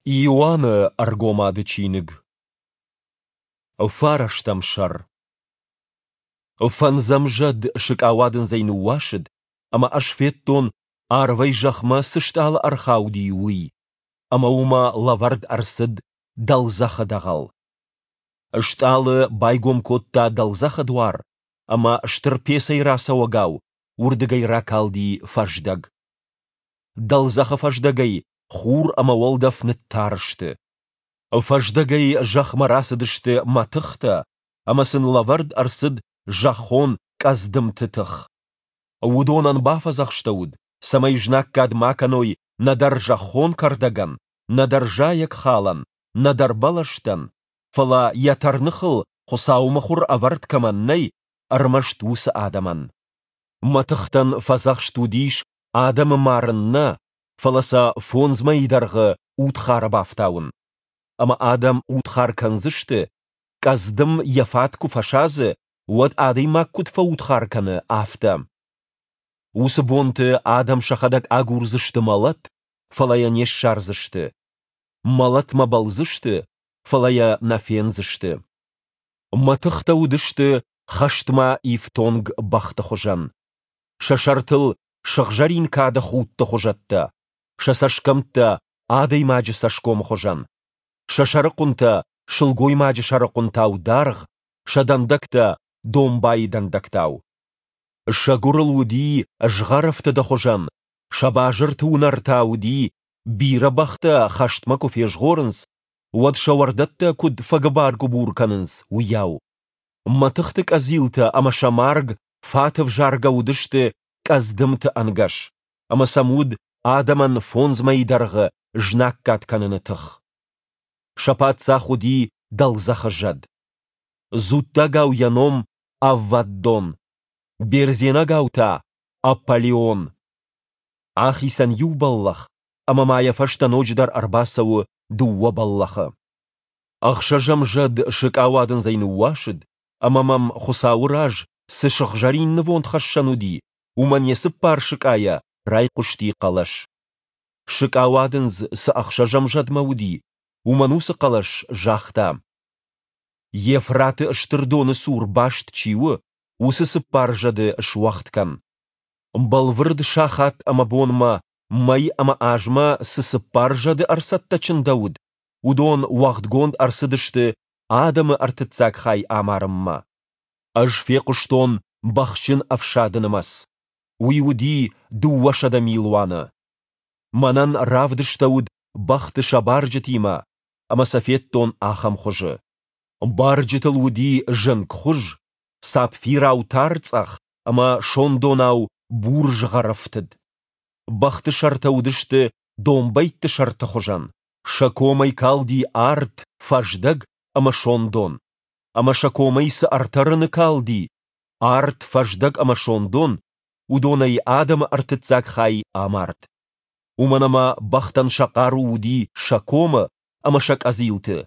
Иоанны Ӕргомады чиныг. Фарӕстӕм сӕр. Фӕндзӕм зӕд сыкъауадындзӕй ныууасыд, ӕмӕ ӕз федтон, арвӕй зӕхмӕ цы стъалы ӕрхауди, уый, ӕмӕ уымӕ лӕвӕрд ӕрцыд дӕлдзӕхы дӕгъӕл. Стъалы байгом кодта дӕлдзӕхы дуар, ӕмӕ стыр пецӕй рацӕуӕгау уырдыгӕй ракалди фӕздӕг. Дӕлдзӕхы фӕздӕгӕй хур ӕмӕ уӕлдӕф ныттар сты. Фӕздӕгӕй зӕхмӕ рацыдысты мӕтыхтӕ, ӕмӕ сын лӕвӕрд ӕрцыд зӕххон къӕдздымты тых. Уыдонӕн бафӕдзӕхстӕуыд, цӕмӕй знаггад ма кӕной нӕдӕр зӕххон кӕрдӕгӕн, нӕдӕр зайӕгхалӕн, нӕдӕр бӕлӕстӕн, фӕлӕ йӕ тӕрныхыл Хуыцауы мыхуыр ӕвӕрд кӕмӕн нӕй, ӕрмӕст уыцы адӕмӕн. Мӕтыхтӕн фӕдзӕхст уыдис адӕмы марын нӕ, фӕлӕ сӕ фондз мӕйы дӕргъы удхары бафтауын. Ӕмӕ адӕм удхар кӕндзысты, къӕдздым йӕ фат куы фӕсадзы, уӕд адӕймаг куыд фӕудхар кӕны, афтӕ. Уыцы бонты адӕм сӕхӕдӕг агурдзысты мӕлӕт, фӕлӕ йӕ не ссардзысты. Мӕлӕтмӕ бӕлдзысты, фӕлӕ йӕ нӕ фендзысты. Мӕтыхтӕ уыдысты хӕстмӕ ифтонг бӕхты хуызӕн. Сӕ сӕртыл сыгъзӕрин кады худты хуызӕттӕ, сӕ цӕсгӕмттӕ адӕймаджы цӕсгомы хуызӕн, сӕ сӕрыхъуынтӕ сылгоймаджы сӕрыхъуынтау даргъ, сӕ дӕндӕгтӕ домбайы дӕндӕгтау. Сӕ гуырыл уыди згъӕрӕфтыды хуызӕн, сӕ базырты уынӕр та уыди, бирӕ бӕхтӕ хӕстмӕ куы фезгъорынц, уӕд сӕ уӕрдӕттӕ куыд фӕгыбар-гуыбур кӕнынц, уыйау. Мӕтыхты къӕдзилтӕ ӕмӕ сӕ марг фаты взаргӕ уыдысты къӕдздымты ӕнгӕс, ӕмӕ сӕм уыд адӕмӕн фондз мӕйы дӕргъы знаггад кӕныны тых. Сӕ паддзах уыди дӕлдзӕхы зӕд. Дзуттагау йӕ ном Авваддон, бердзенагау та Аполлион. Ахицӕн иу бӕллӕх, ӕмӕ ма йӕ фӕстӕ ноджыдӕр ӕрбацӕуы дыууӕ бӕллӕхы. Ӕхсӕзӕм зӕд сыкъауадындзӕй ныууасыд, ӕмӕ мӕм Хуыцауы раз цы сыгъзӕрин нывондхӕссӕн уыди, уымӕн йӕ цыппар сыкъайӕ райхъуысти хъӕлӕс. Сыкъауадындз цы ӕхсӕзӕм зӕдмӕ уыди, уымӕн уыцы хъӕлӕс загъта: Евфраты стыр доны цур баст чи у, уыцы цыппар зӕды суӕгъд кӕн. Бӕлвырд сахат ӕмӕ бонмӕ, мӕй ӕмӕ азмӕ цы цыппар зӕды ӕрцӕттӕ чындӕуыд, уыдон уӕгъдгонд ӕрцыдысты адӕмы ӕртыццаг хай амарынмӕ. Ӕз фехъуыстон бӕхджын ӕфсады нымӕц. Уый уыди 200 милуаны. Мӕнӕн равдыстӕуыд бӕхты сӕ барджытимӕ, ӕмӕ сӕ федтон ахӕм хуызы. Барджытыл уыди зынгхуыз, сапфирау тарцъӕх ӕмӕ сондонау бур згъӕрӕфтыд. Бӕхты сӕртӕ уыдысты домбӕйтты сӕрты хуызӕн, сӕ комӕй калди арт, фӕздӕг ӕмӕ сондон. Ӕмӕ сӕ комӕй цы ӕртӕ рыны калди, арт, фӕздӕг ӕмӕ сондон, уыдонӕй адӕмы ӕртыццаг хай амард. Уымӕн ӕмӕ бӕхтӕн сӕ хъару уыди сӕ комы ӕмӕ сӕ къӕдзилты.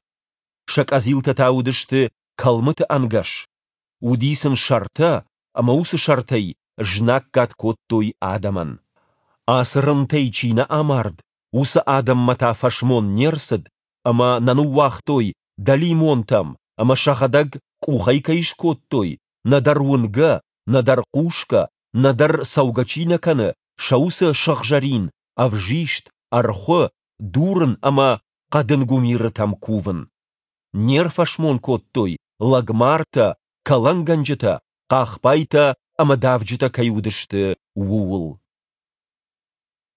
Сӕ къӕдзилтӕ та уыдысты кӕлмыты ӕнгӕс. Уыди сын сӕртӕ, ӕмӕ уыцы сӕртӕй знаггад кодтой адӕмӕн. Ацы рынтӕй чи нӕ амард, уыцы адӕммӕ та фӕсмон не рцыд ӕмӕ нӕ ныууагътой дӕлимонтӕм ӕмӕ сӕхӕдӕг къухӕй кӕй скодтой, нӕдӕр уынгӕ, нӕдӕр хъусгӕ, нӕдӕр цӕугӕ чи нӕ кӕны, сӕ уыцы сыгъзӕрин, ӕвзист, ӕрхуы, дурын ӕмӕ хъӕдын гуымирытӕм кувын. Не рфӕсмон кодтой лӕгмартӕ, кӕлӕнгӕнджытӕ, хъахбайтӕ ӕмӕ давджытӕ кӕй уыдысты, ууыл.